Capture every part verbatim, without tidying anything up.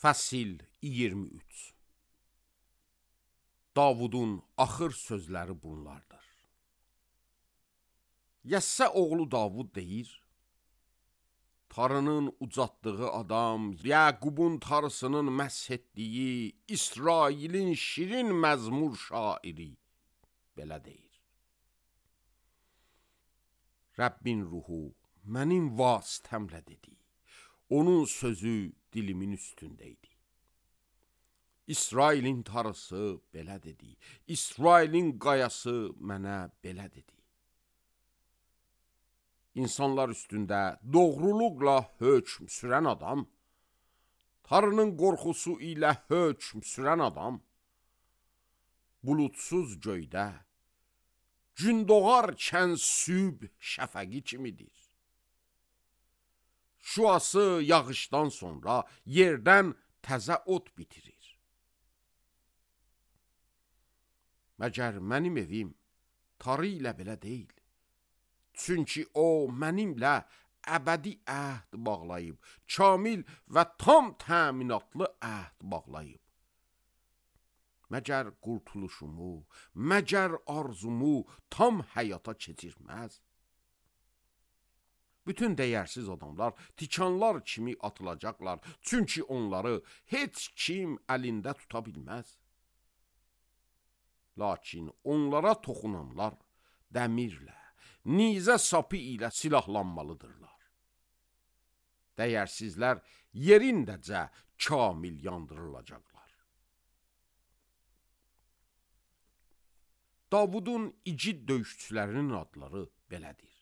Fəsil iyirmi üç. Davudun axır sözləri bunlardır. Yəssə oğlu Davud deyir, Tarının ucatdığı adam, Yəqubun tarısının məsh etdiyi, İsrailin şirin məzmur şairi belə deyir. Rəbbin ruhu mənim vasitəmlə dedi, onun sözü dilimin üstündeydi. İsrailin tarısı belə dedi, İsrailin qayası mənə belə dedi. İnsanlar üstündə doğruluqla hökm sürən adam, Tarının qorxusu ilə hökm sürən adam, bulutsuz göydə, gün doğarkən sübh şəfəqi kimidir. Şüası yağışdan sonra yerdən təzə ot bitirir. Məgər mənim evim tarı ilə belə deyil. Çünki o mənimlə əbədi əhd bağlayıb, kamil və tam təminatlı əhd bağlayıb. Məgər qurtuluşumu, məgər arzumu tam həyata keçirməz. Bütün dəyərsiz adamlar tikanlar kimi atılacaqlar, çünki onları heç kim əlində tuta bilməz. Lakin onlara toxunanlar dəmirlə, nizə sapı ilə silahlanmalıdırlar. Dəyərsizlər yerindəcə kamil yandırılacaqlar. Davudun igid döyüşçülərinin adları belədir.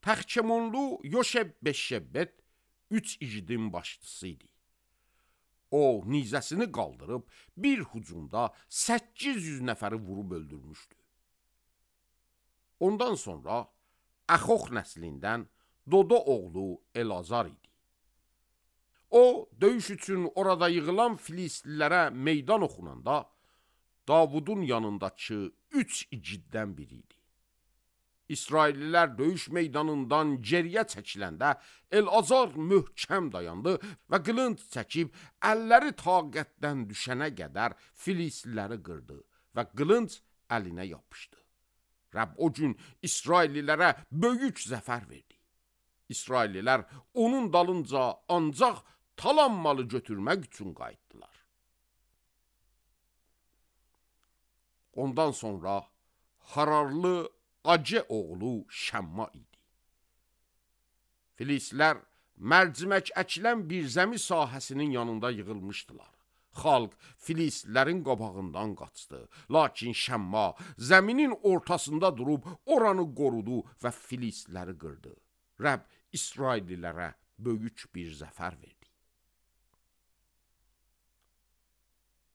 Təxkəmonlu Yoşeb-Beşşebbet üç igidin başçısı idi. O, nizəsini qaldırıb bir hücumda səkkiz yüz nəfəri vurub öldürmüşdü. Ondan sonra Əxox nəslindən Dodo oğlu Elazar idi. O, döyüş üçün orada yığılan Filistlilərə meydan oxunanda Davudun yanındakı üç igiddən biri idi. İsraillilər döyüş meydanından geriyə çəkiləndə Elazar möhkəm dayandı və qılınc çəkib əlləri taqətdən düşənə qədər Filistliləri qırdı və qılınc əlinə yapışdı. Rəbb o gün İsraillilərə böyük zəfər verdi. İsraillilər onun dalınca ancaq talan malı götürmək üçün qayıtdılar. Ondan sonra Hararlı Acə oğlu Şəmma idi. Filistlər mərcimək əkilən bir zəmi sahəsinin yanında yığılmışdılar. Xalq Filistlərin qabağından qaçdı. Lakin Şəmma zəminin ortasında durub oranı qorudu və Filistləri qırdı. Rəbb İsraillilərə böyük bir zəfər verdi.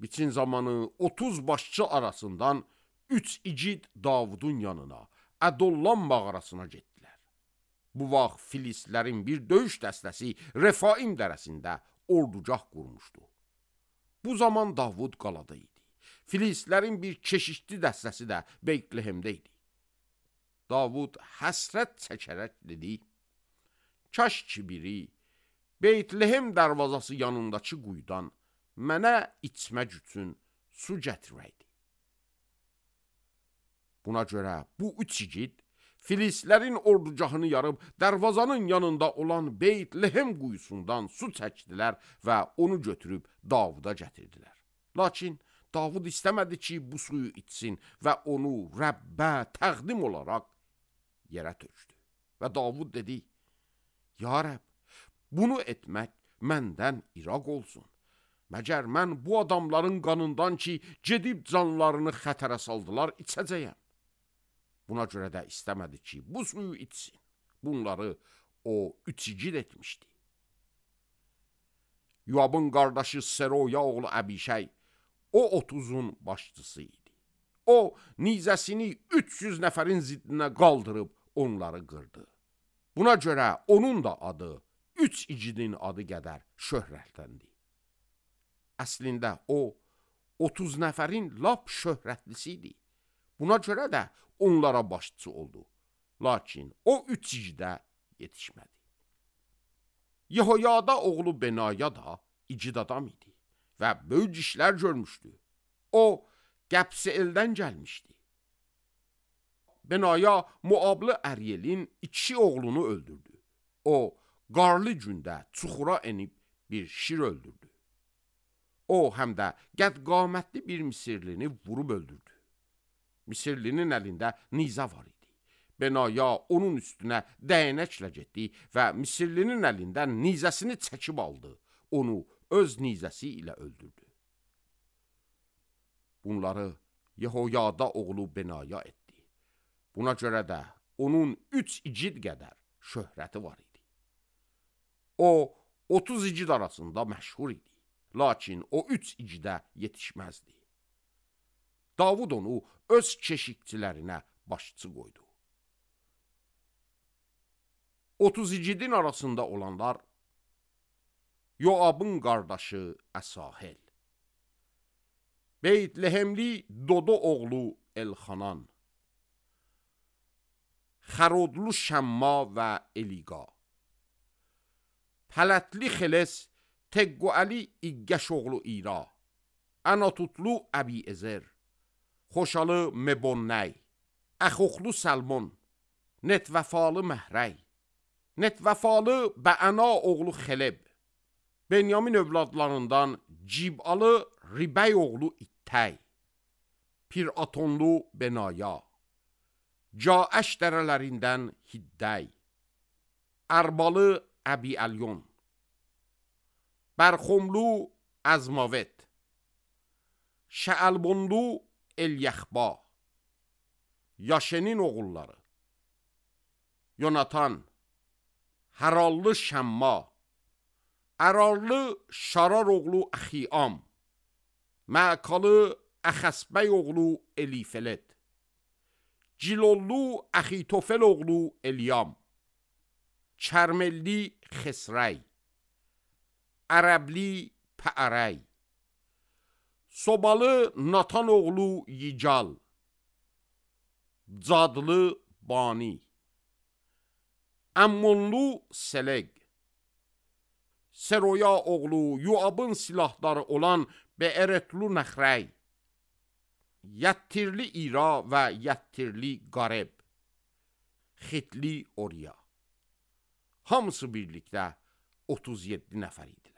Biçin zamanı otuz başçı arasından üç igid Davudun yanına, Ədollam mağarasına getdilər. Bu vaxt Filistlərin bir döyüş dəstəsi Refaim dərəsində ordugah qurmuşdu. Bu zaman Davud qalada idi. Filistlərin bir keşişli dəstəsi də Beytlehemdə idi. Davud həsrət çəkərək dedi, kaş ki biri Beytlehem dərvazası yanındakı quyudan mənə içmək üçün su gətirəydi. Buna görə bu üç igid Filistlərin ordugahını yarıb dərvazanın yanında olan Beytlehem quyusundan su çəkdilər və onu götürüb Davuda gətirdilər. Lakin Davud istəmədi ki, bu suyu içsin və onu Rəbbə təqdim olaraq yerə tökdü. Və Davud dedi, ya Rəbb, bunu etmək məndən iraq olsun. Məgər mən bu adamların qanından ki, gedib canlarını xətərə saldılar, içəcəyəm. Buna görə də istəmədi ki, bu suyu içsin. Bunları o üç igid etmişdi. Yoabın qardaşı Seroya oğlu Əbişəy, o otuzun başçısı idi. O, nizəsini üç yüz nəfərin ziddinə qaldırıb onları qırdı. Buna görə onun da adı üç igidin adı qədər şöhrətləndi. Əslində o, otuz nəfərin lap şöhrətlisi idi. Buna görə də onlara başçı oldu. Lakin o üç igidə yetişmədi. Yehoyada oğlu Benaya da igid adam idi və böyük işlər görmüşdü. O, Qəbs-i eldən gəlmişdi. Benaya Muablı Əryelin iki oğlunu öldürdü. O, qarlı gündə çuxura enib bir şir öldürdü. O, həm də qədd-qamətli bir Misirlini vurub öldürdü. Misirlinin əlində nizə var idi. Benaya onun üstünə dəyənəklə getdi və Misirlinin əlindən nizəsini çəkib aldı. Onu öz nizəsi ilə öldürdü. Bunları Yehoyada oğlu Benaya etdi. Buna görə də onun üç igid qədər şöhrəti var idi. O, otuz igid arasında məşhur idi. Lakin o üç igidə yetişməzdi. Davud onu öz keşikçilərinə başçı qoydu. otuz igidin arasında olanlar Yoabın qardaşı Əsahel, Beytlehemli Dodo oğlu Elxanan, Xərodlu Şəmma və Eliqa, Pələtli Xeles Tegguəli İqqəş oğlu İra, Anatutlu Əbi-Ezer, Xoşalı Mebonnəy, Əxoxlu Səlmon, Netvəfalı Məhrəy, Netvəfalı Bəəna oğlu Xeleb, Benyamin övladlarından Cibalı Ribəy oğlu İttəy, Piratonlu Benaya, Caəş dərələrindən Hiddəy, Ərbalı Əbi-Əlyon, Bərxomlu Əzmavet, Şəəlbonlu Elyəxba, Yaşenin oğulları, Yonatan, Hərallı Şəmma, Ərarlı Şarar oğlu Əxiyam, Məkalı Əxəsbəy oğlu Elifelet, Cilollu Əxitofel oğlu Eliyam, Çərmelli Xesrəy, Ərəbli Pəərəy, Sobalı Natan oğlu Yical, Cadlı Bani, Əmmonlu Seleq, Seroya oğlu Yoabın silahları olan Beeretlu Nəxrəy, Yəttirli İra və Yəttirli Qareb, Xitli Oriya. Hamısı birlikdə otuz yeddi nəfər idi.